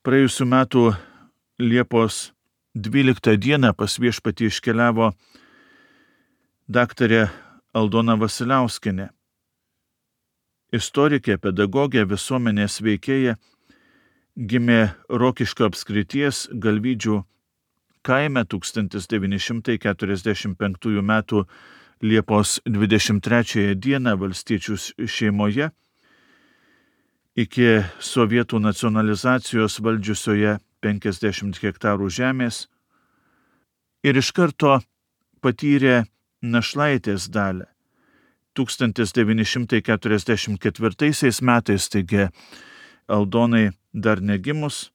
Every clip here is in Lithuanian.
Praėjusiu metu Liepos 12 dieną pas Viešpatį iškeliavo daktarė Aldona Vasiliauskienė. Istorikė, pedagogė, visuomenės veikėja, gimė Rokiškio apskrities Galvydžių kaime 1945 m. Liepos 23 dieną valstiečių šeimoje, iki sovietų nacionalizacijos valdžiusioje 50 hektarų žemės, ir iš karto patyrė našlaitės dalią. 1944 metais, taigi Aldonai dar negimus,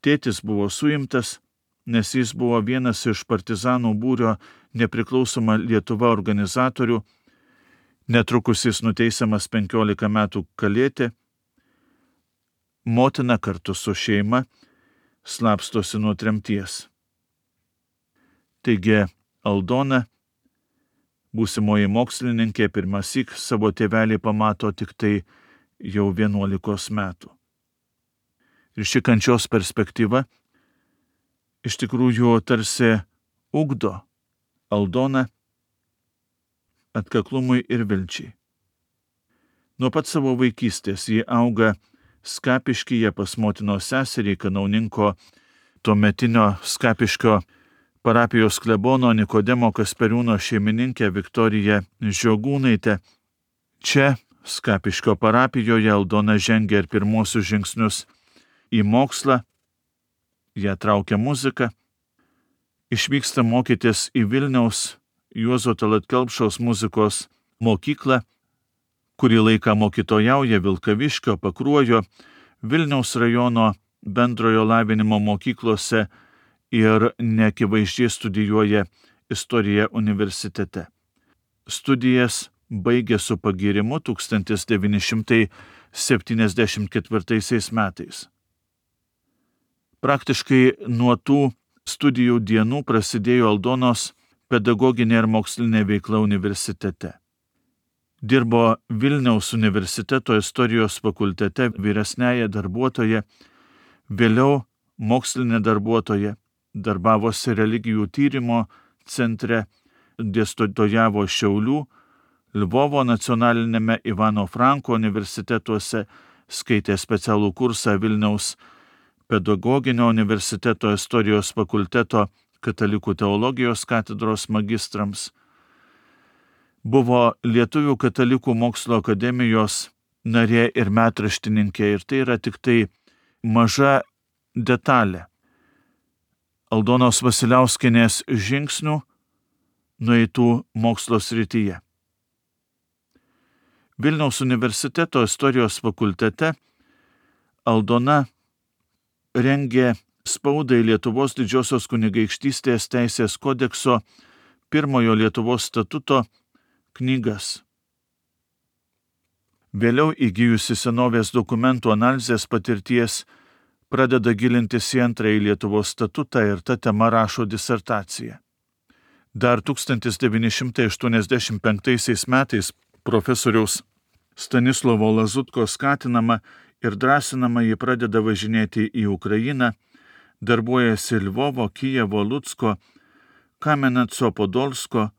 tėtis buvo suimtas, nes jis buvo vienas iš partizanų būrio Nepriklausoma Lietuva organizatorių. Netrukus jis nuteisiamas 15 metų kalėti. Motina kartu su šeima slapstosi nuo tremties. Taigi Aldona, būsimoji mokslininkė, pirmąsyk savo tėvelį pamato tik tai jau 11 metų. Ir ši kančios perspektyva iš tikrųjų tarsi ugdo Aldoną atkaklumui ir vilčiai. Nuo pat savo vaikystės ji auga Skapiškyje pas motinos seserį, kanauninko tuometinio Skapiškio parapijos klebono Nikodemo Kasperiūno šeimininkę Viktoriją Žiogūnaitę. Čia, Skapiškio parapijoje, Aldona žengia ir pirmosius žingsnius į mokslą, ją traukia muzika, išvyksta mokytis į Vilniaus Juozo Tallat Kelpšos muzikos mokyklą, kurį laiką mokytojauja Vilkaviškio, Pakruojo, Vilniaus rajono bendrojo lavinimo mokyklose ir neakivaizdžiai studijuoja istoriją universitete. Studijas baigė su pagyrimu 1974 metais. Praktiškai nuo tų studijų dienų prasidėjo Aldonos pedagoginė ir mokslinė veikla universitete. Dirbo Vilniaus universiteto istorijos fakultete vyresnėje darbuotoja, vėliau mokslinė darbuotoja, darbavosi religijų tyrimo centre, dėstytojavo Šiaulių, Lvovo nacionalinėme Ivano Franko universitetuose, skaitė specialų kursą Vilniaus pedagoginio universiteto istorijos fakulteto katalikų teologijos katedros magistrams. Buvo Lietuvių katalikų mokslo akademijos narė ir metraštininkė, ir tai yra tik tai maža detalė Aldonos Vasiliauskienės žingsnių nueitų mokslo srityje. Vilniaus universiteto istorijos fakultete Aldona rengė spaudai Lietuvos Didžiosios kunigaikštystės teisės kodekso pirmojo Lietuvos statuto knygas. Vėliau įgijusi senovės dokumentų analizės patirties pradeda gilintis į antrąjį Lietuvos statutą ir ta tema rašo disertaciją. Dar 1985 metais profesoriaus Stanislovo Lazutko skatinama ir drąsinama ji pradeda važinėti į Ukrainą, darbuojasi Lvovo, Kijevo, Lucko, Kameneco, Podolsko,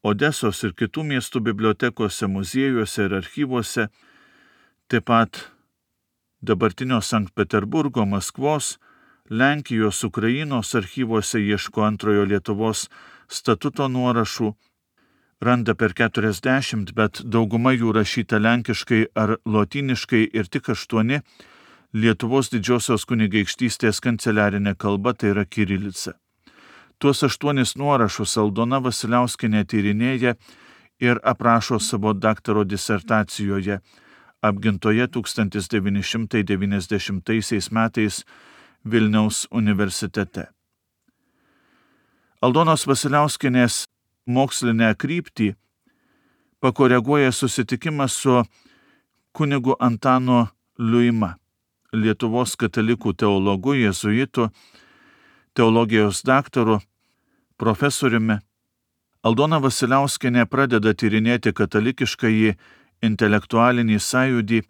Odesos ir kitų miestų bibliotekose, muziejuose ir archyvuose, taip pat dabartinio Sankt Peterburgo, Maskvos, Lenkijos, Ukrainos archyvuose ieško antrojo Lietuvos statuto nuorašų, randa per 40, bet dauguma jų rašyta lenkiškai ar lotyniškai ir tik 8 Lietuvos Didžiosios kunigaikštystės kanceliarinė kalba, tai yra kirilica. Tuos 8 nuorašus Aldona Vasiliauskienė tyrinėja ir aprašo savo daktaro disertacijoje, apgintoje 1990 metais Vilniaus universitete. Aldonos Vasiliauskienės mokslinę kryptį pakoreguoja susitikimas su kunigu Antanu Liuima, Lietuvos katalikų teologu, jėzuitu, teologijos daktaru, profesoriumi. Aldona Vasiliauskienė pradeda tyrinėti katalikiškąjį intelektualinį sąjūdį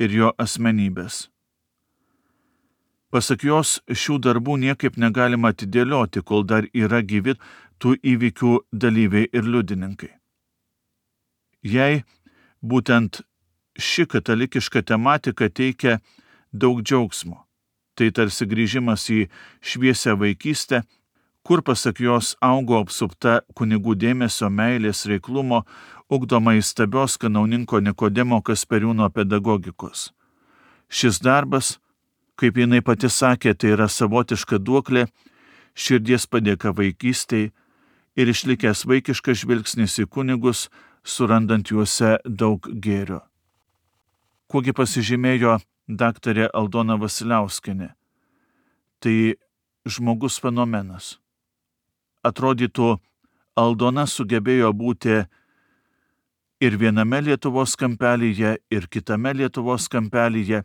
ir jo asmenybės. Pasak jos, šių darbų niekaip negalima atidėlioti, kol dar yra gyvi tų įvykių dalyviai ir liudininkai. Jai būtent ši katalikiška tematika teikia daug džiaugsmo. Tai tarsi grįžimas į šviesią vaikystę, kur pasak jos augo apsupta kunigų dėmesio, meilės, reiklumo, ugdoma įstabios kanauninko Nikodemo Kasperiūno pedagogikos. Šis darbas, kaip jinai pati sakė, tai yra savotiška duoklė, širdies padėka vaikystėj ir išlikęs vaikiškas žvilgsnis į kunigus, surandant juose daug gėrio. Kuogi pasižymėjo daktarė Aldona Vasiliauskienė? Tai žmogus fenomenas. Atrodytų, Aldona sugebėjo būti ir viename Lietuvos kampelyje, ir kitame Lietuvos kampelyje,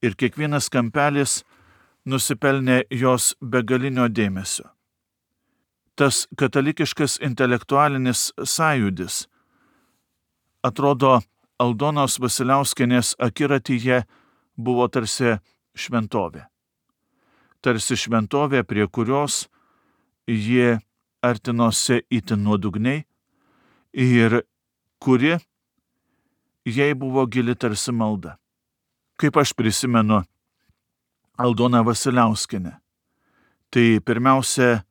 ir kiekvienas kampelis nusipelnė jos begalinio dėmesio. Tas katalikiškas intelektualinis sąjūdis, atrodo, Aldonos Vasiliauskienės akiratyje buvo tarsi šventovė. Tarsi šventovė, prie kurios jie artinosi itin nuodugniai ir kuri jai buvo gili tarsi malda. Kaip aš prisimenu Aldoną Vasiliauskienę, tai pirmiausia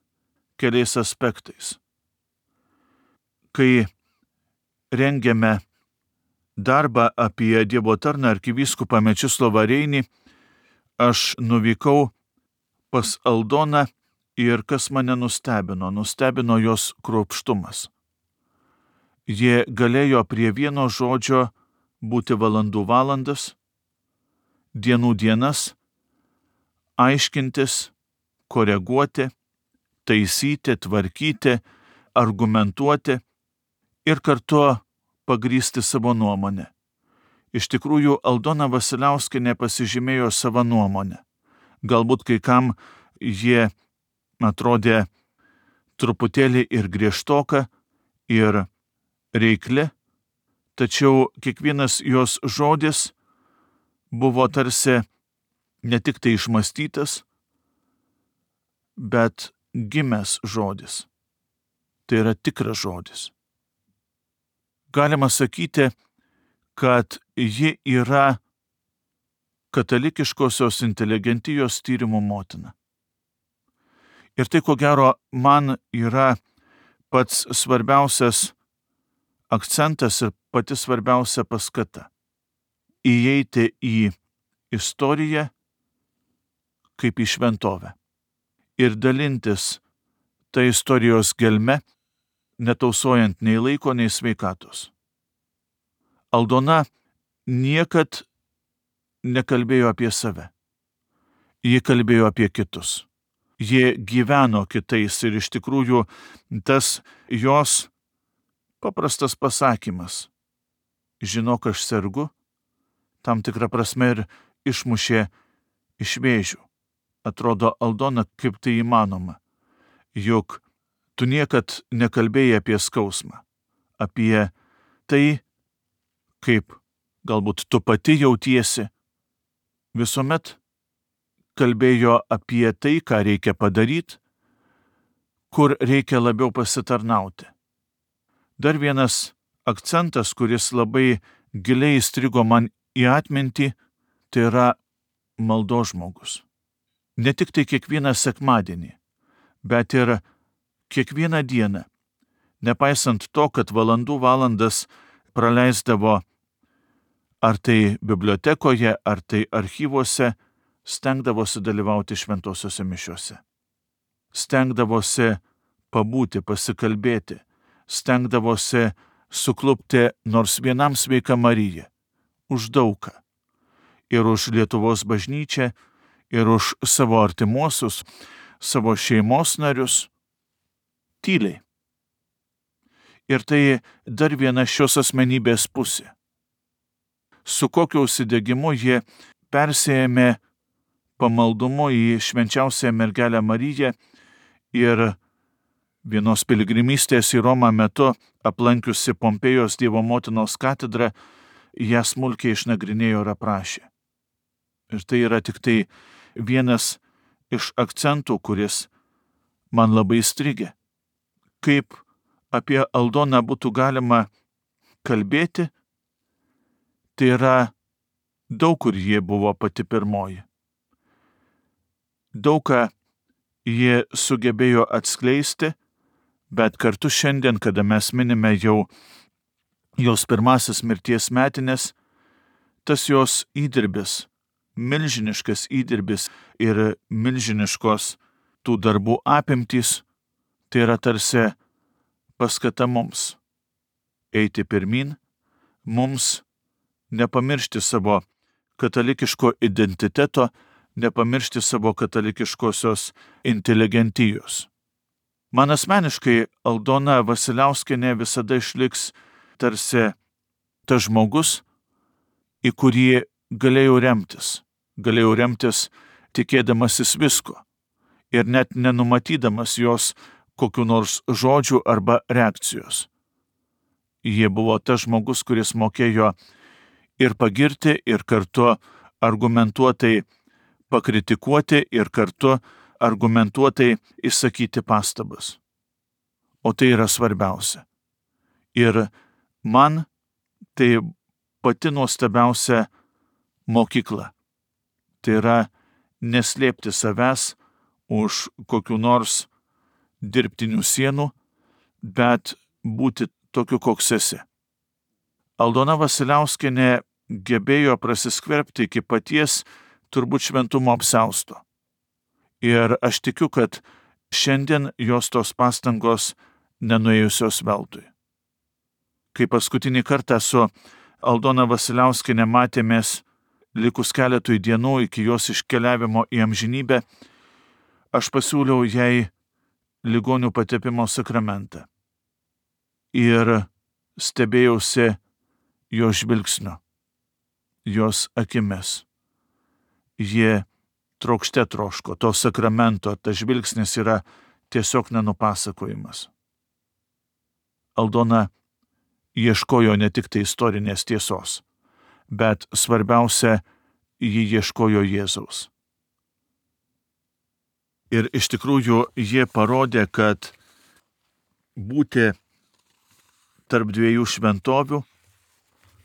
keliais aspektais. Kai rengėme darbą apie Dievo tarną arkivyskupą Mečislovą Reinį, aš nuvykau pas Aldoną ir kas mane nustebino jos kruopštumas. Jie galėjo prie vieno žodžio būti valandų valandas, dienų dienas, aiškintis, koreguoti, taisyti, tvarkyti, argumentuoti ir kartu pagrįsti savo nuomonę. Iš tikrųjų, Aldona Vasiliauskienė pasižymėjo savo nuomonę. Galbūt kai kam jie atrodė truputėlį ir griežtoka, ir reikli, tačiau kiekvienas jos žodis buvo tarsi ne tik tai išmąstytas, bet gimęs žodis. Tai yra tikras žodis. Galima sakyti, kad ji yra katalikiškosios inteligentijos tyrimų motina. Ir tai, ko gero, man yra pats svarbiausias akcentas ir pati svarbiausia paskata – įeiti į istoriją kaip į šventovę ir dalintis tą istorijos gelme, netausojant nei laiko, nei sveikatos. Aldona niekad nekalbėjo apie save. Ji kalbėjo apie kitus. Ji gyveno kitais ir iš tikrųjų tas jos paprastas pasakymas "žinok, aš sergu", tam tikrą prasme ir išmušė iš vėžių. Atrodo, Aldona, kaip tai įmanoma. Juk tu niekad nekalbėjai apie skausmą, apie tai, kaip galbūt tu pati jautiesi. Visuomet kalbėjo apie tai, ką reikia padaryti, kur reikia labiau pasitarnauti. Dar vienas akcentas, kuris labai giliai įstrigo man į atmintį, tai yra maldos žmogus. Ne tik tai kiekvieną sekmadienį, bet ir kiekvieną dieną, nepaisant to, kad valandų valandas praleisdavo ar tai bibliotekoje, ar tai archyvuose, stengdavosi dalyvauti šventosiuose mišiuose. Stengdavosi pabūti, pasikalbėti, stengdavosi suklupti nors vienam Sveika Marija, už daugą. Ir už Lietuvos bažnyčią, ir už savo artimuosius, savo šeimos narius, tyliai. Ir tai dar viena šios asmenybės pusė. Su kokiu užsidegimu jie persėjame pamaldumu į švenčiausią mergelę Mariją ir vienos piligrimystės į Romą metu aplankiusi Pompėjos Dievo motinos katedrą, ją smulkiai išnagrinėjo ir aprašė. Ir tai yra tik tai vienas iš akcentų, kuris man labai įstrigė. Kaip apie Aldoną būtų galima kalbėti, tai yra daug kur ji buvo pati pirmoji. Daug ką ji sugebėjo atskleisti, bet kartu šiandien, kada mes minime jau jos pirmasis mirties metinės, tas jos įdirbis, milžiniškas įdirbis ir milžiniškos tų darbų apimtys, tai yra tarsi paskata mums eiti pirmin, mums nepamiršti savo katalikiško identiteto, nepamiršti savo katalikiškosios inteligentijos. Man asmeniškai Aldona Vasiliauskienė visada išliks tarsi tas žmogus, į kurį galėjau remtis tikėdamasis visko ir net nenumatydamas jos kokių nors žodžių arba reakcijos. Jie buvo tas žmogus, kuris mokėjo ir pagirti, ir kartu argumentuotai pakritikuoti, ir kartu argumentuotai išsakyti pastabas. O tai yra svarbiausia. Ir man tai pati nuostabiausia mokykla. Tai yra neslėpti savęs už kokių nors dirbtinių sienų, bet būti tokiu, koks esi. Aldona Vasiliauskienė gebėjo prasiskverbti iki paties turbūt šventumo apsiausto. Ir aš tikiu, kad šiandien jos tos pastangos nenuėjusios veltui. Kai paskutinį kartą su Aldona Vasiliauskienė matėmės likus keletui dienų iki jos iškeliavimo į amžinybę, aš pasiūliau jai ligonių patepimo sakramentą. Ir stebėjausi jo žvilgsniu, jos akimis. Jie trokšte troško to sakramento, tas žvilgsnis yra tiesiog nenupasakojimas. Aldona ieškojo ne tik tai istorinės tiesos, bet svarbiausia, ji ieškojo Jėzaus. Ir iš tikrųjų jie parodė, kad būti tarp dviejų šventovių,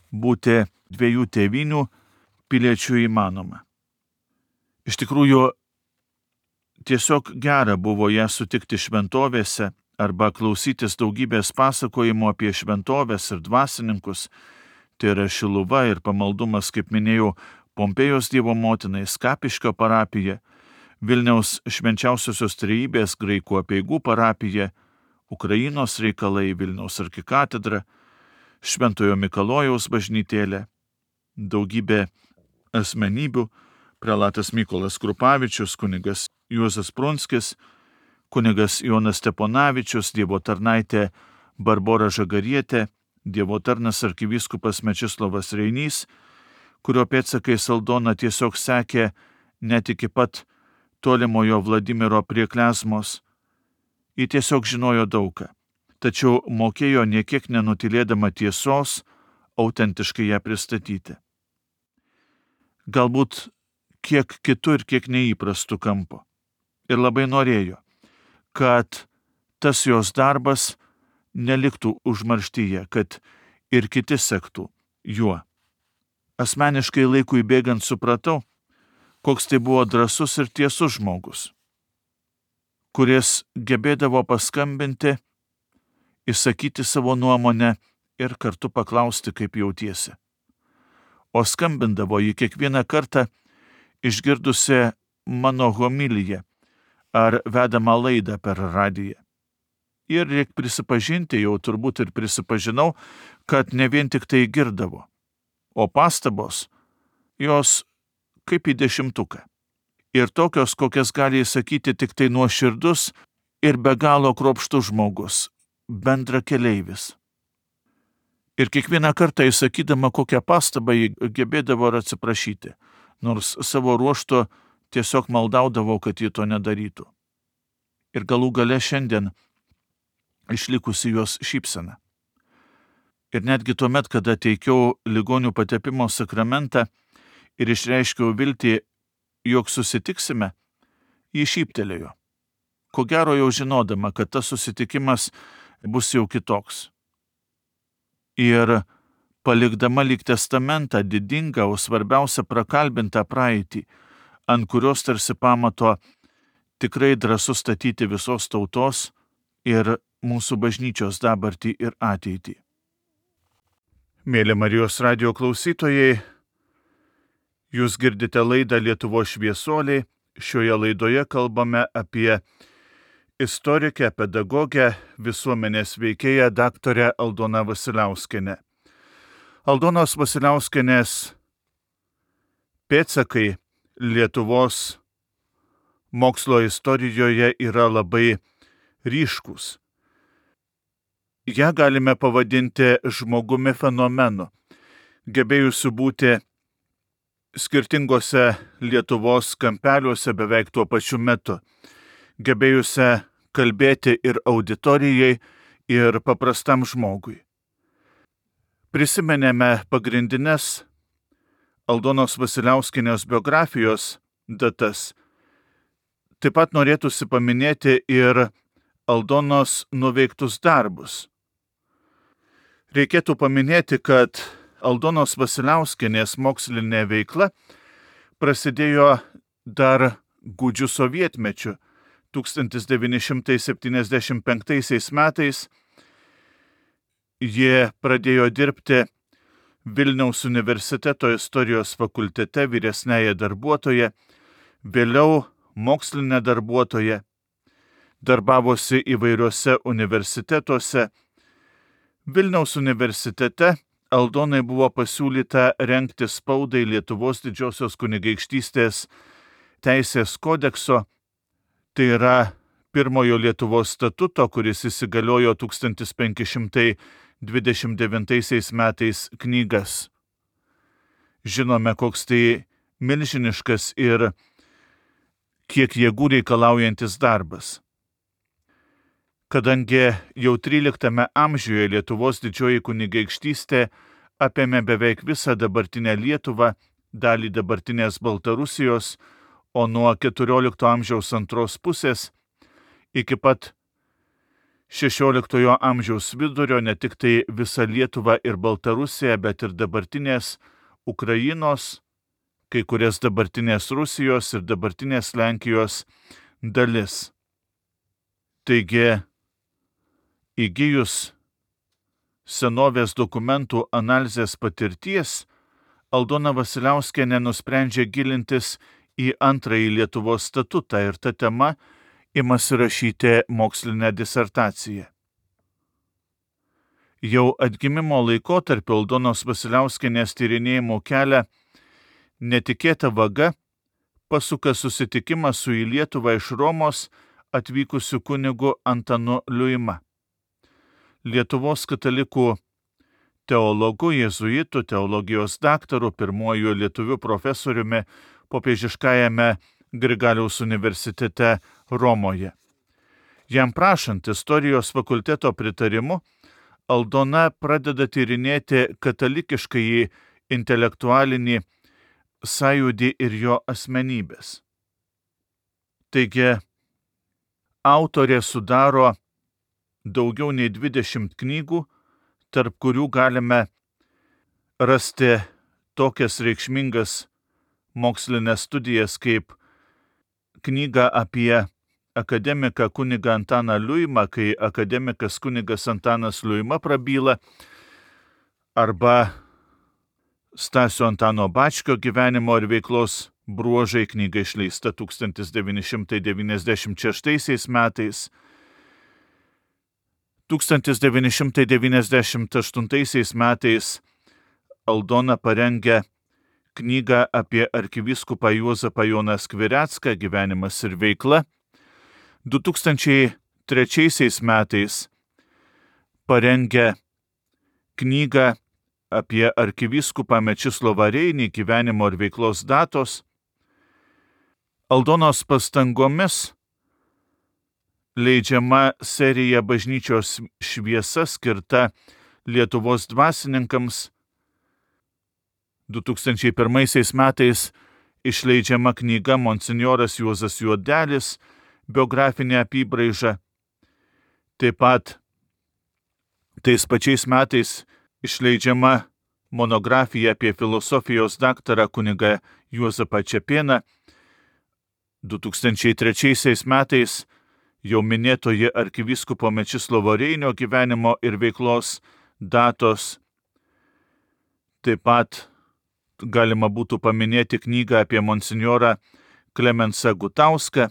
būti dviejų tėvynių piliečių įmanoma. Iš tikrųjų, tiesiog gera buvo ją sutikti šventovėse arba klausytis daugybės pasakojimų apie šventovės ir dvasininkus, tai yra Šiluva ir pamaldumas, kaip minėjau, Pompėjos Dievo motinai, Skapiškio parapija, Vilniaus švenčiausiosios trejybės graikų apeigų parapija, Ukrainos reikalai, Vilniaus arkikatedra, Šventojo Mikalojaus bažnytėlė, daugybė asmenybių, prelatas Mykolas Krupavičius, kunigas Juozas Prunskis, kunigas Jonas Steponavičius, Dievo tarnaitė Barbora Žagarietė, Dievo tarnas arkivyskupas Mečislovas Reinys, kurio pėdsakais Aldona tiesiog sekė net iki pat tolimojo Vladimiro prie Klezmos. Ji tiesiog žinojo daugą, tačiau mokėjo niekiek nenutylėdama tiesos autentiškai ją pristatyti. Galbūt kiek kitų ir kiek neįprastų kampų. Ir labai norėjo, kad tas jos darbas neliktų užmarštyje, kad ir kiti sektų juo. Asmeniškai laikui bėgant supratau, koks tai buvo drąsus ir tiesus žmogus, kuris gebėdavo paskambinti, išsakyti savo nuomonę ir kartu paklausti, kaip jautiesi. O skambindavo jį kiekvieną kartą išgirdusi mano homiliją ar vedamą laidą per radiją. Ir reik prisipažinti, jau turbūt ir prisipažinau, kad ne vien tik tai girdavo, o pastabos jos kaip į 10. Ir tokios, kokias gali įsakyti tik tai nuoširdus ir be galo kruopštus žmogus, bendrakeleivis. Ir kiekvieną kartą įsakydama kokią pastabą jį gebėdavo ir atsiprašyti, nors savo ruožtu tiesiog maldaudavo, kad ji to nedarytų. Ir galų gale šiandien išlikusi jos šypsena. Ir netgi tuomet, kada teikiau ligonių patepimo sakramentą ir išreiškiau viltį, jog susitiksime, ji šyptelėjo. Ko gero jau žinodama, kad tas susitikimas bus jau kitoks. Ir palikdama lyg testamentą didingą, o svarbiausia prakalbintą praeitį, ant kurios tarsi pamato tikrai drąsu statyti visos tautos ir mūsų bažnyčios dabartį ir ateitį. Mėly Marijos radijo klausytojai, jūs girdite laidą Lietuvos šviesuoliai. Šioje laidoje kalbame apie istorikę, pedagogę, visuomenės veikėją daktarę Aldoną Vasiliauskienę. Aldonos Vasiliauskienės pėdsakai Lietuvos mokslo istorijoje yra labai ryškūs. Ja galime pavadinti žmogumi fenomenu, gebėjusiu būti skirtingose Lietuvos kampeliuose beveik tuo pačiu metu, gebėjusią kalbėti ir auditorijai, ir paprastam žmogui. Prisimenėme pagrindinės Aldonos Vasiliauskienės biografijos datas. Taip pat norėtųsi paminėti ir Aldonos nuveiktus darbus. Reikėtų paminėti, kad Aldonos Vasiliauskienės mokslinė veikla prasidėjo dar gūdžiu sovietmečiu. 1975 metais jie pradėjo dirbti Vilniaus universiteto istorijos fakultete vyresnėje darbuotoje, vėliau mokslinė darbuotoja, darbavosi įvairiuose universitetuose. Vilniaus universitete Aldonai buvo pasiūlyta rengti spaudai Lietuvos didžiosios kunigaikštystės teisės kodekso, tai yra pirmojo Lietuvos statuto, kuris įsigaliojo 1529 metais knygas. Žinome, koks tai milžiniškas ir kiek jėgų reikalaujantis darbas. Kadangi jau 13 amžiuje Lietuvos didžioji kunigaikštystė apėmė beveik visą dabartinę Lietuvą, dalį dabartinės Baltarusijos, o nuo 14 amžiaus antros pusės iki pat 16 amžiaus vidurio ne tik tai visą Lietuvą ir Baltarusiją, bet ir dabartinės Ukrainos, kai kurias dabartinės Rusijos ir dabartinės Lenkijos dalis. Taigi, įgijus senovės dokumentų analizės patirties, Aldona Vasiliauskienė nusprendžia gilintis į antrąjį Lietuvos statutą ir ta tema imasi rašyti mokslinę disertaciją. Jau atgimimo laikotarpiu Aldonos Vasiliauskienės tyrinėjimo kelią netikėta vaga pasuka susitikimas su į Lietuvą iš Romos atvykusiu kunigu Antanu Liuima. Lietuvos katalikų teologu, jėzuitų, teologijos daktaru, pirmuoju lietuvių profesoriumi popiežiškajame Grigaliaus universitete Romoje. Jam prašant istorijos fakulteto pritarimu, Aldona pradeda tyrinėti katalikiškąjį intelektualinį sąjūdį ir jo asmenybės. Taigi, autorė sudaro daugiau nei 20 knygų, tarp kurių galime rasti tokias reikšmingas mokslinės studijas kaip knyga apie akademiką kunigą Antaną Liuimą, kai akademikas kunigas Antanas Liuima prabyla, arba Stasio Antano Bačkio gyvenimo ir veiklos bruožai, knyga išleista 1996 metais. 1998 metais Aldona parengė knygą apie arkivyskupą Juozapą Joną Skvirecką, gyvenimas ir veikla. 2003 metais parengė knygą apie arkivyskupą Mečislovą Reinį, gyvenimo ir veiklos datos. Aldonos pastangomis leidžiama serija Bažnyčios šviesa skirta Lietuvos dvasininkams. 2001 metais išleidžiama knyga Monsinjoras Juozas Juodelis, biografinė apybraiža. Taip pat tais pačiais metais išleidžiama monografija apie filosofijos daktarą kunigą Juozapą Čepėną. 2003 metais jau minėtoji arkivyskupo Mečislovo Reinio gyvenimo ir veiklos datos. Taip pat galima būtų paminėti knygą apie monsinjorą Klemensą Gutauską,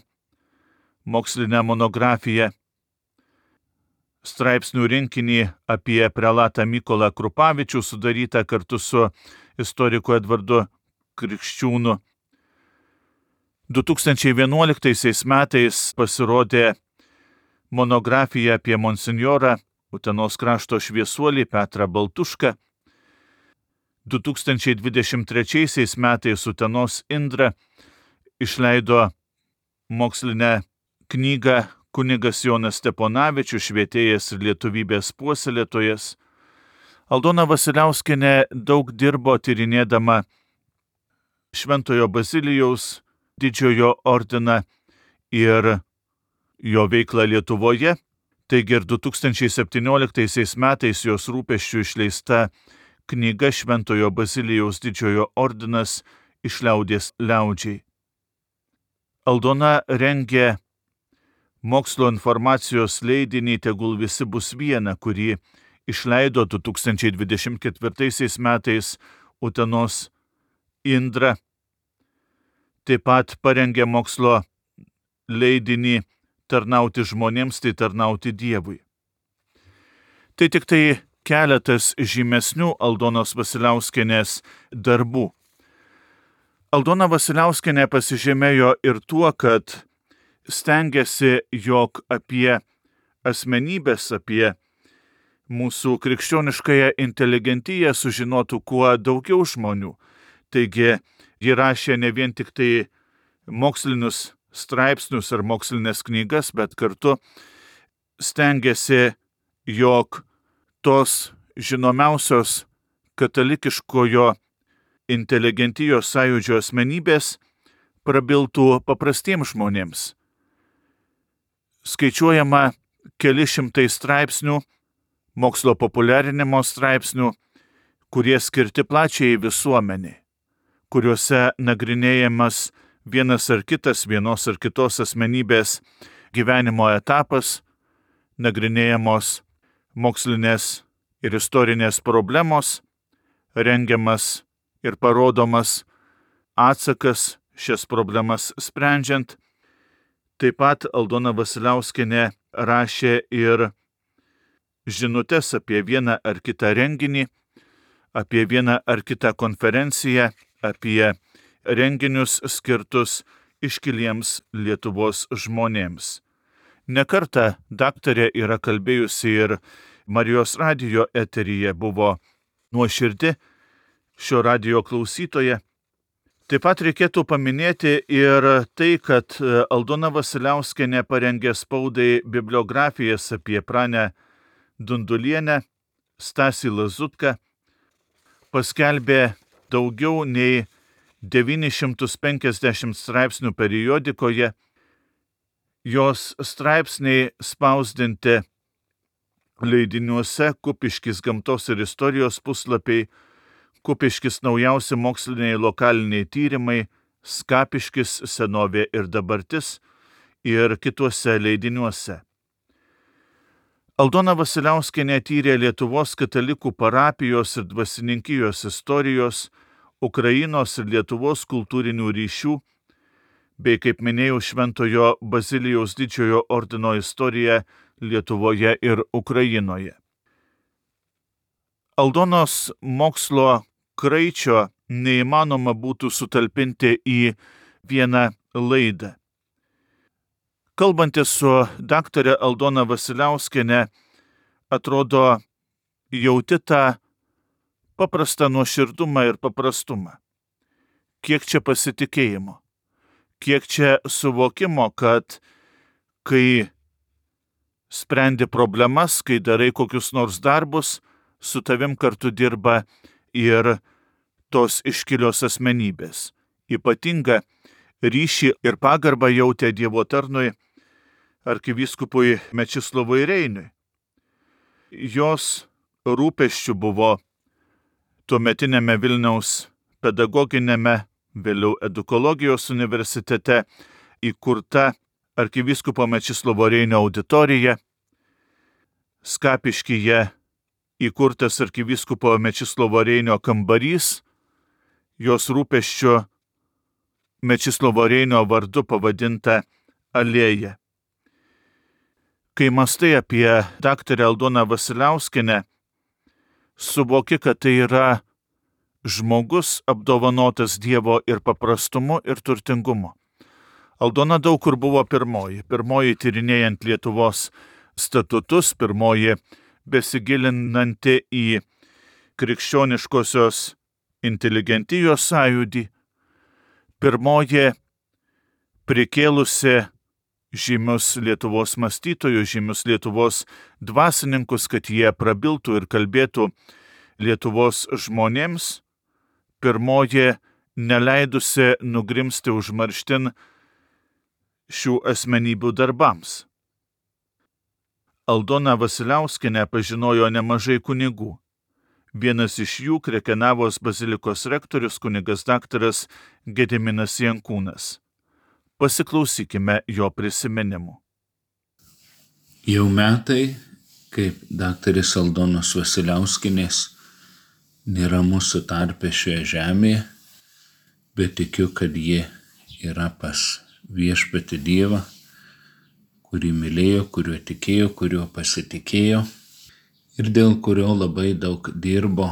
mokslinę monografiją, straipsnių rinkinį apie prelatą Mykolą Krupavičių, sudarytą kartu su istoriku Edvardu Krikščiūnu. 2011 metais pasirodė monografija apie monsinjorą Utenos krašto šviesuolį Petrą Baltušką. 2023 metais Utenos Indra išleido mokslinę knygą kunigas Jonas Steponavičius, švietėjas ir lietuvybės puoselėtojas. Aldona Vasiliauskienė daug dirbo tyrinėdama Šventojo Bazilijaus didžiojo ordiną ir jo veiklą Lietuvoje. Taigi ir 2017 metais jos rūpesčių išleista knyga Šventojo Bazilijaus didžiojo ordinas iš liaudies liaudžiai. Aldona rengė mokslo informacijos leidinį Tegul visi bus viena, kurį išleido 2024 metais Utenos Indra. Taip pat parengė mokslo leidinį Tarnauti žmonėms, tai tarnauti Dievui. Tai tik tai keletas žymesnių Aldonos Vasiliauskienės darbų. Aldona Vasiliauskienė pasižymėjo ir tuo, kad stengiasi, jog apie asmenybės, apie mūsų krikščioniškąją inteligentiją sužinotų kuo daugiau žmonių. Taigi, ji rašė ne vien tik tai mokslinius straipsnius ar mokslinės knygas, bet kartu stengiasi, jog tos žinomiausios katalikiškojo inteligentijos sąjūdžio asmenybės prabiltų paprastiems žmonėms. Skaičiuojama keli šimtai straipsnių, mokslo populiarinimo straipsnių, kurie skirti plačiai visuomeniai, kuriuose nagrinėjamas vienas ar kitas, vienos ar kitos asmenybės gyvenimo etapas, nagrinėjamos mokslinės ir istorinės problemos, rengiamas ir parodomas atsakas šias problemas sprendžiant. Taip pat Aldona Vasiliauskienė rašė ir žinutes apie vieną ar kitą renginį, apie vieną ar kitą konferenciją, apie renginius skirtus iškiliems Lietuvos žmonėms. Ne kartą daktarė yra kalbėjusi ir Marijos radijo eteryje, buvo nuoširdi šio radijo klausytoja. Taip pat reikėtų paminėti ir tai, kad Aldona Vasiliauskienė parengė spaudai bibliografijas apie Pranę Dundulienę, Stasį Lazutką, paskelbė daugiau nei 950 straipsnių periodikoje, jos straipsniai spausdinti leidiniuose Kupiškis gamtos ir istorijos puslapiai, Kupiškis naujausi moksliniai lokaliniai tyrimai, Skapiškis senovė ir dabartis ir kituose leidiniuose. Aldona Vasiliauskienė tyrė Lietuvos katalikų parapijos ir dvasininkijos istorijos, Ukrainos ir Lietuvos kultūrinių ryšių, bei, kaip minėjau, Šventojo Bazilijaus didžiojo ordino istoriją Lietuvoje ir Ukrainoje. Aldonos mokslo kraičio neįmanoma būtų sutalpinti į vieną laidą. Kalbantis su daktare Aldona Vasiliauskienė, atrodo, jauti tą paprastą nuoširdumą ir paprastumą. Kiek čia pasitikėjimo, kiek čia suvokimo, kad kai sprendi problemas, kai darai kokius nors darbus, su tavim kartu dirba ir tos iškilios asmenybės, ypatingą ryšį ir pagarbą jautė Dievo tarnui arkivyskupui Mečislovui Reiniui. Jos rūpesčių buvo tuometinėme Vilniaus pedagoginėme, vėliau edukologijos universitete įkurta arkivyskupo Mečislovo Reinio auditorija, Skapiškyje įkurtas arkivyskupo Mečislovo Reinio kambarys, jos rūpesčių Mečislovo Reinio vardu pavadinta alėja. Kai mąstai apie daktarę Aldoną Vasiliauskienę, suvoki, kad tai yra žmogus apdovanotas Dievo ir paprastumu, ir turtingumu. Aldona daug kur buvo pirmoji tyrinėjant Lietuvos statutus, pirmoji besigilinanti į krikščioniškosios inteligentijos sąjūdį, pirmoji prikėlusi žymius Lietuvos mąstytojus, žymius Lietuvos dvasininkus, kad jie prabiltų ir kalbėtų Lietuvos žmonėms, pirmoji neleidusi nugrimsti užmarštin šių asmenybių darbams. Aldona Vasiliauskienė pažinojo nemažai kunigų. Vienas iš jų Krekenavos bazilikos rektorius kunigas daktaras Gediminas Jankūnas. Pasiklausykime jo prisiminimų. Jau metai, kaip daktarės Aldonos Vasiliauskienės nėra mūsų tarpe šioje žemėje, bet tikiu, kad ji yra pas Viešpatį Dievą, kurį mylėjo, kuriuo tikėjo, kuriuo pasitikėjo ir dėl kurio labai daug dirbo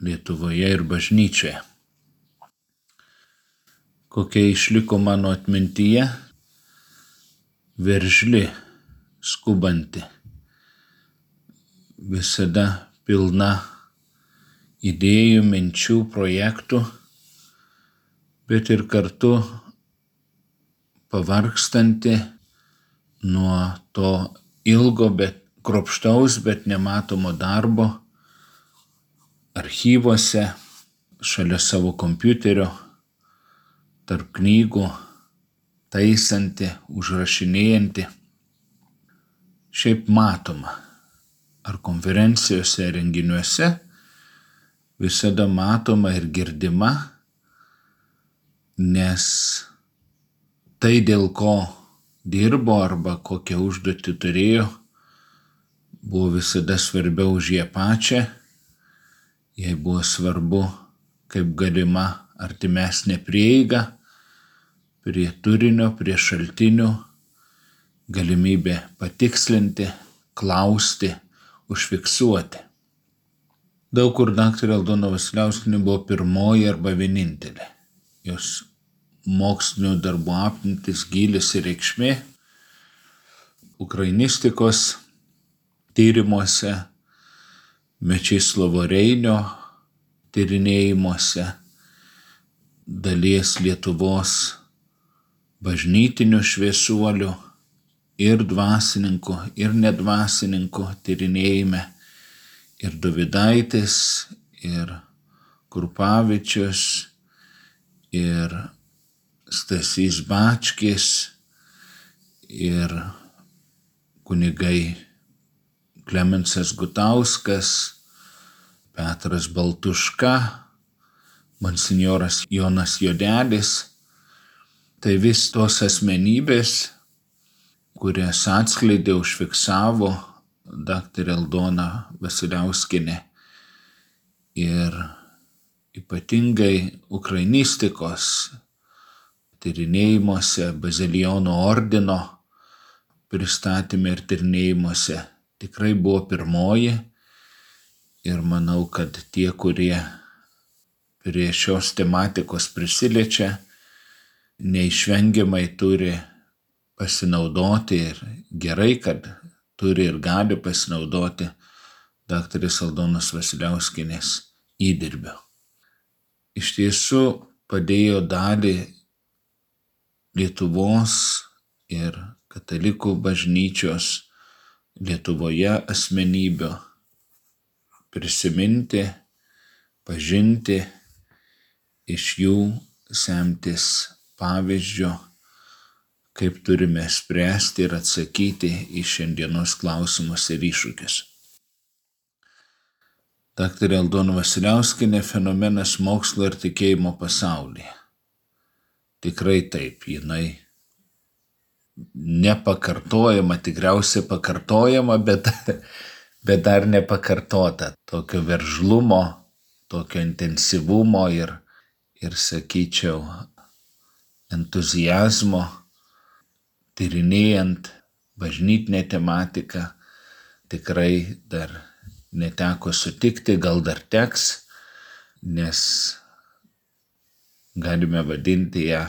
Lietuvoje ir bažnyčioje. Kokia išliko mano atmintyje, veržli, skubanti, visada pilna idėjų, minčių, projektų, bet ir kartu pavargstanti nuo to ilgo, bet kruopštaus, bet nematomo darbo archyvuose, šalia savo kompiuterio, tarp knygų, taisanti, užrašinėjanti. Šiaip matoma, ar konferencijose, renginiuose, visada matoma ir girdima, nes tai, dėl ko dirbo arba kokią užduotį turėjo, buvo visada svarbiau už ją pačią. Jai buvo svarbu, kaip galima artimesnė prieiga prie turinio, prie šaltinių, galimybė patikslinti, klausti, užfiksuoti. Daug kur daktarė Aldona Vasiliauskienė buvo pirmoji arba vienintelė. Jos mokslinių darbų apimtis, gylis ir reikšmė ukrainistikos tyrimuose, Mečislovo Reinio tyrinėjimuose, dalies Lietuvos bažnytinių šviesuolių ir dvasininkų, ir nedvasininkų tyrinėjime, ir Dovydaitis, ir Krupavičius, ir Stasys Bačkis, ir kunigai Klemensas Gutauskas, Petras Baltuška, monsinjoras Jonas Jodelis. Tai vis tos asmenybės, kurias atskleidė, užfiksavo daktarė Aldona Vasiliauskienė ir ypatingai ukrainistikos tyrinėjimuose, Bazilijonų ordino pristatyme ir tyrinėjimuose tikrai buvo pirmoji ir manau, kad tie, kurie prie šios tematikos prisiliečia, neišvengiamai turi pasinaudoti ir gerai, kad turi ir gali pasinaudoti daktarės Aldonos Vasiliauskienės įdirbio. Iš tiesų padėjo dalį Lietuvos ir katalikų bažnyčios Lietuvoje asmenybių prisiminti, pažinti, iš jų semtis pavyzdžio, kaip turime spręsti ir atsakyti į šiandienos klausimus ir iššūkius. Daktarė Aldona Vasiliauskienė fenomenas mokslo ir tikėjimo pasaulyje. Tikrai taip, jinai nepakartojama, tikriausiai pakartojama, bet dar nepakartota. Tokio veržlumo, tokio intensyvumo ir sakyčiau, entuzijazmo, tyrinėjant bažnytinę tematiką, tikrai dar neteko sutikti, gal dar teks, nes galime vadinti ją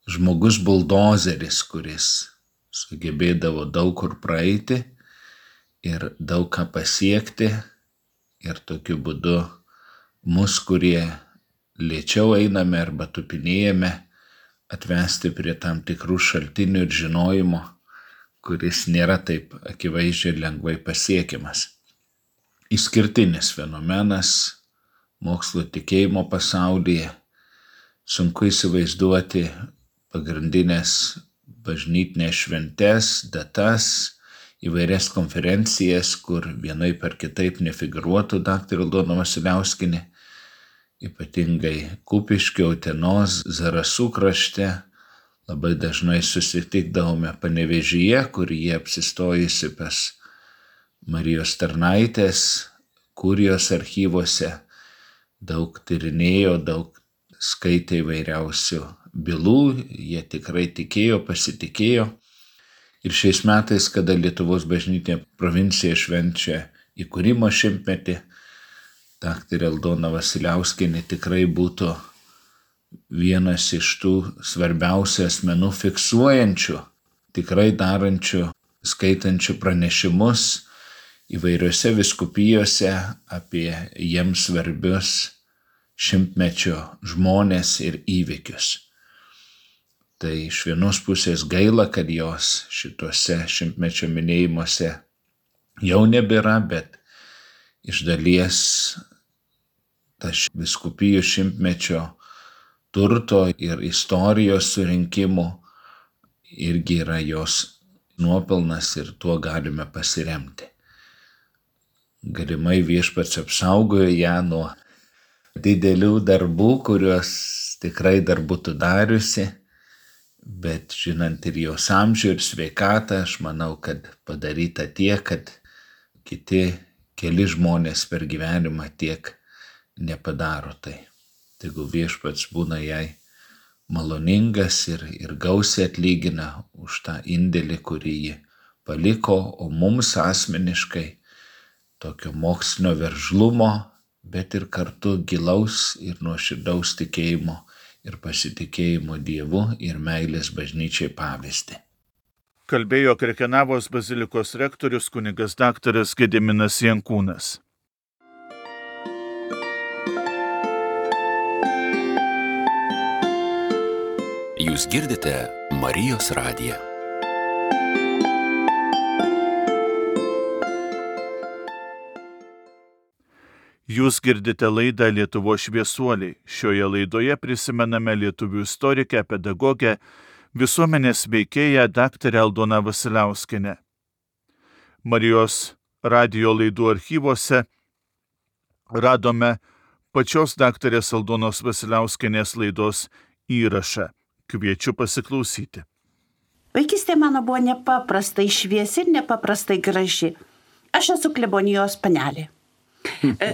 žmogus buldozeris, kuris sugebėdavo daug kur praeiti ir daug ką pasiekti ir tokiu būdu mus, kurie lėčiau einame arba tupinėjame, atvesti prie tam tikrų šaltinių ir žinojimo, kuris nėra taip akivaizdžiai lengvai pasiekiamas. Išskirtinis fenomenas mokslo tikėjimo pasaulyje. Sunku įsivaizduoti pagrindinės bažnytinės šventes, datas, įvairias konferencijas, kur vienaip ar kitaip nefigūruotų daktarė Aldona Vasiliauskienė, ypatingai Kupiškio, Utenos, Zarasų krašte. Labai dažnai susitikdavome Panevėžyje, kur jie apsistojusi pas Marijos tarnaitės, kurijos archyvuose, daug tyrinėjo, daug skaitė įvairiausių bylų, jie tikrai tikėjo, pasitikėjo. Ir šiais metais, kada Lietuvos bažnytinė provincija švenčia įkūrimo 100-metį, daktarė Aldona Vasiliauskienė tikrai būtų vienas iš tų svarbiausių asmenų fiksuojančių, tikrai darančių, skaitančių pranešimus įvairiose vyskupijose apie jiems svarbius 100-mečio žmonės ir įvykius. Tai iš vienos pusės gaila, kad jos šituose 100-mečio minėjimuose jau nebėra, bet iš dalies tas vyskupijų 100-mečio turto ir istorijos surinkimų irgi yra jos nuopelnas ir tuo galime pasiremti. Galimai Viešpats apsaugojo ją nuo didelių darbų, kuriuos tikrai dar būtų dariusi, bet žinant ir jos amžių ir sveikatą, aš manau, kad padaryta tiek, kad keli žmonės per gyvenimą tiek nepadaro tai. Tegu Viešpats būna jai maloningas ir gausiai atlygina už tą indėlį, kurį ji paliko, o mums asmeniškai tokio mokslinio veržlumo, bet ir kartu gilaus ir nuoširdaus tikėjimo ir pasitikėjimo Dievu ir meilės bažnyčiai pavyzdį. Kalbėjo Krekenavos bazilikos rektorius kunigas daktaras Gediminas Jankūnas. Jūs girdite Marijos radiją. Jūs girdite laidą Lietuvos šviesuoliai. Šioje laidoje prisimename lietuvių istorikę, pedagogę, visuomenės veikėją daktarę Aldoną Vasiliauskienę. Marijos radijo laidų archyvuose radome pačios daktarės Aldonos Vasiliauskienės laidos įrašą. Kviečiu pasiklausyti. Vaikystė mano buvo nepaprastai šviesi ir nepaprastai graži. Aš esu klebonijos panelė.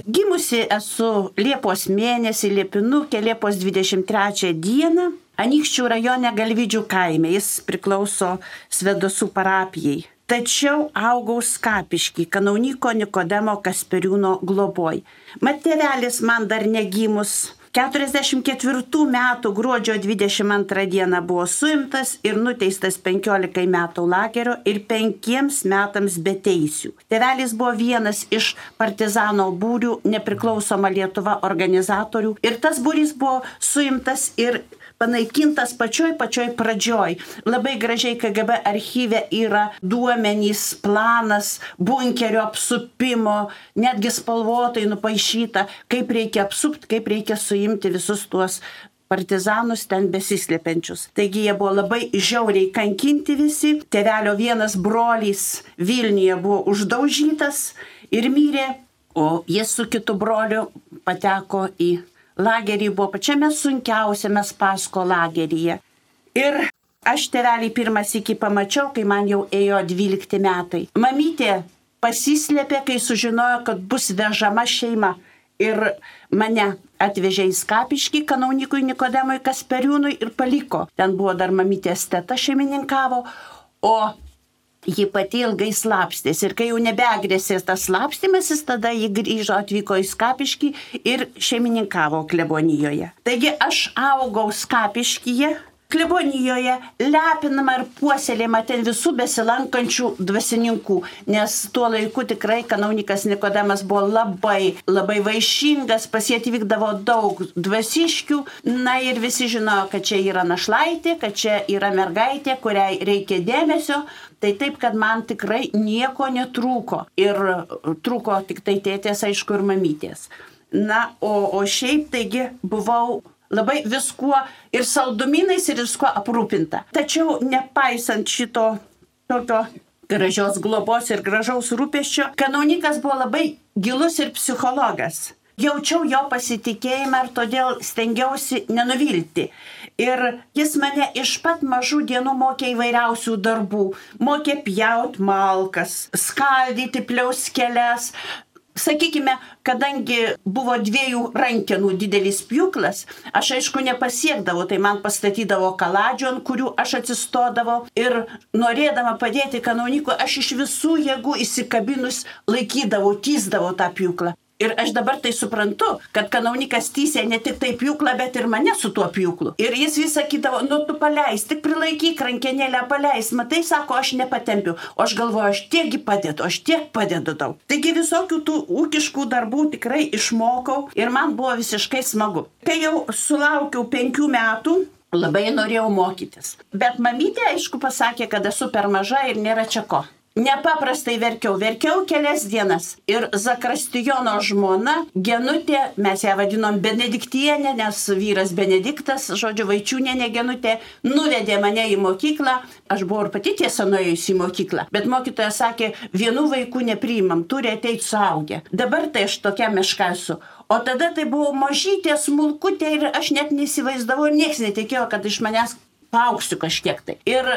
Gimusi esu Liepos mėnesį, Liepinukė, Liepos 23 dieną, Anykščių rajone Galvidžių kaime, jis priklauso Svedosų parapijai. Tačiau augau Skapišky, Kanauniko Nikodemo Kasperiūno globoj. Mat tėvelis man dar negimus 44 metų gruodžio 22 dieną buvo suimtas ir nuteistas 15 metų lagerio ir 5 metams be teisių. Tėvelis buvo vienas iš partizano būrių Nepriklausoma Lietuva organizatorių ir tas būrys buvo suimtas ir panaikintas pačioj pradžioj. Labai gražiai KGB archyve yra duomenys, planas, bunkerio apsupimo, netgi spalvotai nupaišyta, kaip reikia apsupti, kaip reikia suimti visus tuos partizanus ten besislepiančius. Taigi jie buvo labai žiauriai kankinti visi. Tėvelio vienas brolys Vilniuje buvo uždaužytas ir mirė, o jis su kitu broliu pateko į lagerį, buvo pačiame sunkiausiame Spasko lageryje. Ir aš tėvelį pirmą sykį pamačiau, kai man jau ėjo 12 metai. Mamytė pasislėpė, kai sužinojo, kad bus vežama šeima. Ir mane atvežė į Skapiškį kanaunikui Nikodemui Kasperiūnui ir paliko. Ten buvo dar mamytės teta šeimininkavo, o ji pati ilgai slapstės. Ir kai jau nebegrėsės tas slapstymasis, tada ji grįžo, atvyko į Skapiškį ir šeimininkavo klebonijoje. Taigi aš augau Skapiškyje, klebonijoje, lepinama ir puoselėjama ten visų besilankančių dvasininkų, nes tuo laiku tikrai kanaunikas Nikodemas buvo labai vaišingas, pas jį atvykdavo daug dvasiškių, na ir visi žinojo, kad čia yra našlaitė, kad čia yra mergaitė, kuriai reikia dėmesio, tai taip, kad man tikrai nieko netrūko ir trūko tik tai tėtės, aišku, ir mamytės. Na, o šiaip taigi buvau labai viskuo ir saldumynais ir viskuo aprūpinta. Tačiau nepaisant šito tokio gražios globos ir gražaus rūpesčio, kanaunikas buvo labai gilus ir psichologas. Jaučiau jo pasitikėjimą ir todėl stengiausi nenuvilti. Ir jis mane iš pat mažų dienų mokė įvairiausių darbų. Mokė pjaut malkas, skaldyti pliauskeles. Sakykime, kadangi buvo 2 rankenų didelis pjūklas, aš aišku nepasiekdavau, tai man pastatydavo kaladžių, ant kurių aš atsistodavau ir norėdama padėti kanaunikui, aš iš visų jėgų įsikabinus laikydavau, tįsdavau tą pjūklą. Ir aš dabar tai suprantu, kad kanaunikas tysė ne tik tai pjūklą, bet ir mane su tuo pjūklu. Ir jis vis sakydavo, nu tu paleis, tik prilaikyk rankenėlę, paleis. Matai, sako, aš nepatempiu. O aš galvoju, aš tiekgi padedu, aš tiek padedu tau. Taigi visokių tų ūkiškų darbų tikrai išmokau ir man buvo visiškai smagu. Kai jau sulaukiau 5 metų, labai norėjau mokytis. Bet mamytė, aišku, pasakė, kad esu per maža ir nėra čia ko. Nepaprastai verkiau kelias dienas. Ir Zakristijono žmona, Genutė, mes ją vadinom Benediktienė, nes vyras Benediktas, žodžiu, Vaičiūnienė Genutė, nuvedė mane į mokyklą. Aš buvau ir pati tiesa nuėjusi į mokyklą. Bet mokytoja sakė, vienų vaikų nepriimam, turi ateiti suaugę. Dabar tai aš tokia meška esu. O tada tai buvo mažytė, smulkutė ir aš net neįsivaizdavau ir niekas netikėjo, kad iš manęs paaugsiu kažkiek tai. Ir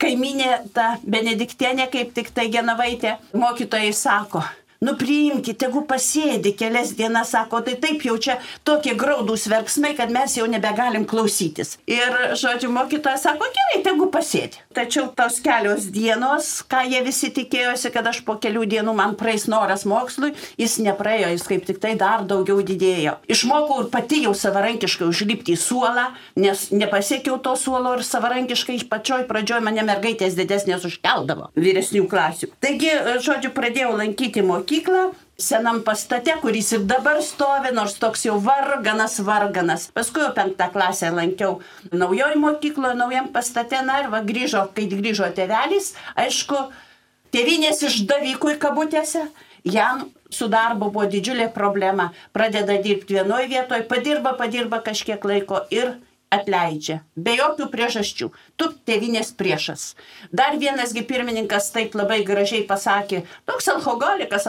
kaimynė, ta Benediktienė, kaip tik tai Genovaitė, mokytojai sako, nu priimkite, tegu pasėdi kelias dienas, sako, tai taip jau čia tokie graudūs verksmai, kad mes jau nebegalim klausytis. Ir, žodžiu, mokytoja sako, gerai, tegu pasėdi. Tačiau tos kelios dienos, ką jie visi tikėjosi, kad aš po kelių dienų man praeis noras mokslui, jis nepraėjo, jis kaip tik tai dar daugiau didėjo. Išmokau ir pati jau savarankiškai užlipti į suolą, nes nepasiekiau to suolo ir savarankiškai iš pačioj pradžioj mane mergaitės didesnės užkeldavo vyresnių klasių. Taigi, žodžiu, pradėjau lankyti mokyklą senam pastate, kuris ir dabar stovi, nors toks jau varganas. Paskui jau 5 klasę lankiau naujoj mokykloje, naujam pastate, na ir kai grįžo tėvelis, aišku, tėvynės išdavikui kabutėse, jam su darbu buvo didžiulė problema. Pradeda dirbti vienoje vietoje, padirba kažkiek laiko ir atleidžia. Be jokių priežasčių. Tu tėvynės priešas. Dar vienasgi pirmininkas taip labai gražiai pasakė, toks alkoholikas,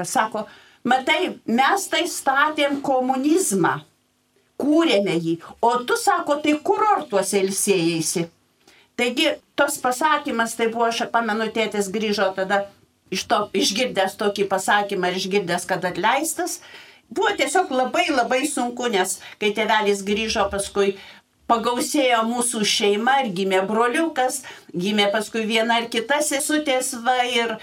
sako, matai, mes tai statėm komunizmą, kūrėme jį, o tu, sako, tai kurortuose ilsėjaisi. Taigi, tos pasakymas, tai buvo, aš pamenu, tėtis grįžo tada išgirdęs tokį pasakymą ir išgirdęs, kad atleistas. Buvo tiesiog labai sunku, nes kai tėvelis grįžo, paskui pagausėjo mūsų šeima ir gimė broliukas, gimė paskui viena ir kita sesutės, ir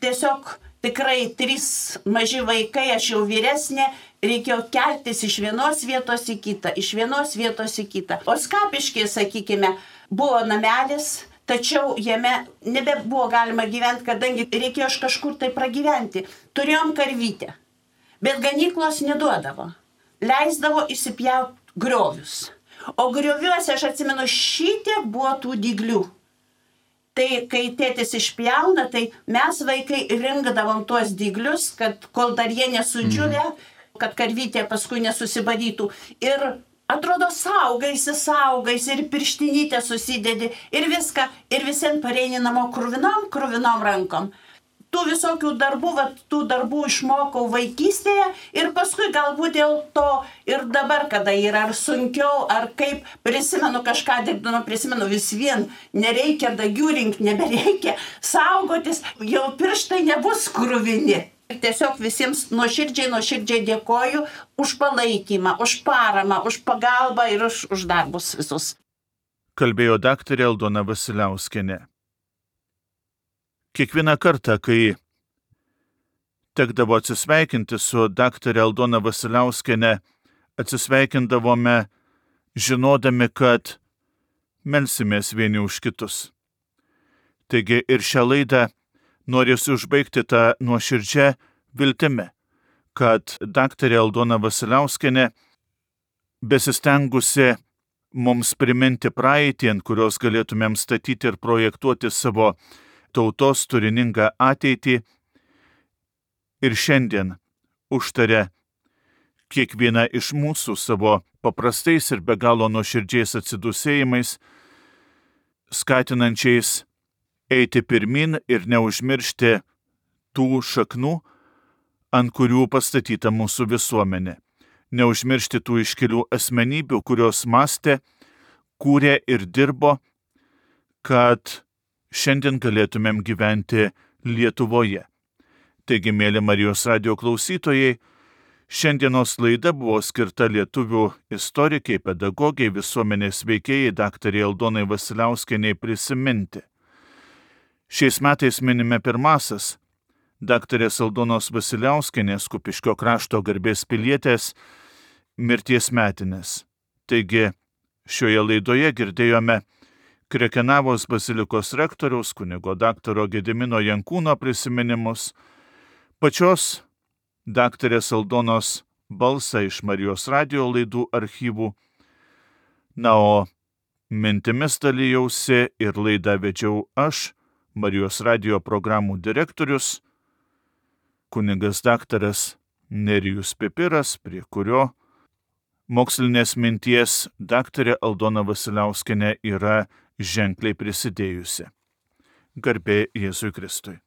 tiesiog tikrai 3 maži vaikai, aš jau vyresnė, reikėjo keltis iš vienos vietos į kitą, O Skapiškyje, sakykime, buvo namelis, tačiau jame nebebuvo galima gyventi, kadangi reikėjo iš kažkur tai pragyventi. Turėjom karvytę. Bet ganyklos neduodavo. Leisdavo įsipjauti griovius. O grioviuose, aš atsimenu, šitiek buvo tų dyglių. Tai kai tėtis išpjauna, tai mes vaikai rinkdavom tuos dyglius, kad kol dar jie nesudžiūvė, kad karvytė paskui nesusibadytų. Ir Atrodo, saugaisi ir pirštinytę susidedi ir viską, ir visien pareini namo kruvinom rankom. Tų visokių darbų išmokau vaikystėje ir paskui galbūt dėl to ir dabar, kada yra ar sunkiau, ar kaip, prisimenu kažką dirbdama, prisimenu vis vien, nereikia dagių rinkti, nebereikia saugotis, jau pirštai nebus kruvini. Ir tiesiog visiems nuoširdžiai dėkoju už palaikymą, už paramą, už pagalbą ir už darbus visus. Kalbėjo daktarė Aldona Vasiliauskienė. Kiekvieną kartą, kai tekdavo atsisveikinti su daktarė Aldona Vasiliauskienė, atsisveikindavome žinodami, kad melsimės vieni už kitus. Taigi ir šią laidą norėsiu užbaigti tą nuoširdžią viltimi, kad daktarė Aldona Vasiliauskienė, besistengusi mums priminti praeitį, ant kurios galėtumėm statyti ir projektuoti savo tautos turiningą ateitį, ir šiandien užtarė kiekvieną iš mūsų savo paprastais ir be galo nuoširdžiais atsidūsėjimais, skatinančiais eiti pirmin ir neužmiršti tų šaknų, ant kurių pastatyta mūsų visuomenė. Neužmiršti tų iškilių asmenybių, kurios mąstė, kūrė ir dirbo, kad šiandien galėtumėm gyventi Lietuvoje. Taigi, mėly Marijos radijo klausytojai, šiandienos laida buvo skirta lietuvių istorikai, pedagogiai, visuomenės veikėjai daktarei Aldonai Vasiliauskienei prisiminti. Šiais metais minime pirmasis daktarės Aldonos Vasiliauskienės, Kupiškio krašto garbės pilietės, mirties metinės. Taigi, šioje laidoje girdėjome Krekenavos bazilikos rektoriaus kunigo daktaro Gedimino Jankūno prisiminimus, pačios daktarės Aldonos balsą iš Marijos radijo laidų archyvų. Na, o mintimis dalijausi ir laidą vedžiau aš, Marijos radijo programų direktorius, kunigas daktaras Nerijus Pipiras, prie kurio mokslinės minties daktarė Aldona Vasiliauskienė yra ženkliai prisidėjusi. Garbė Jėzui Kristui.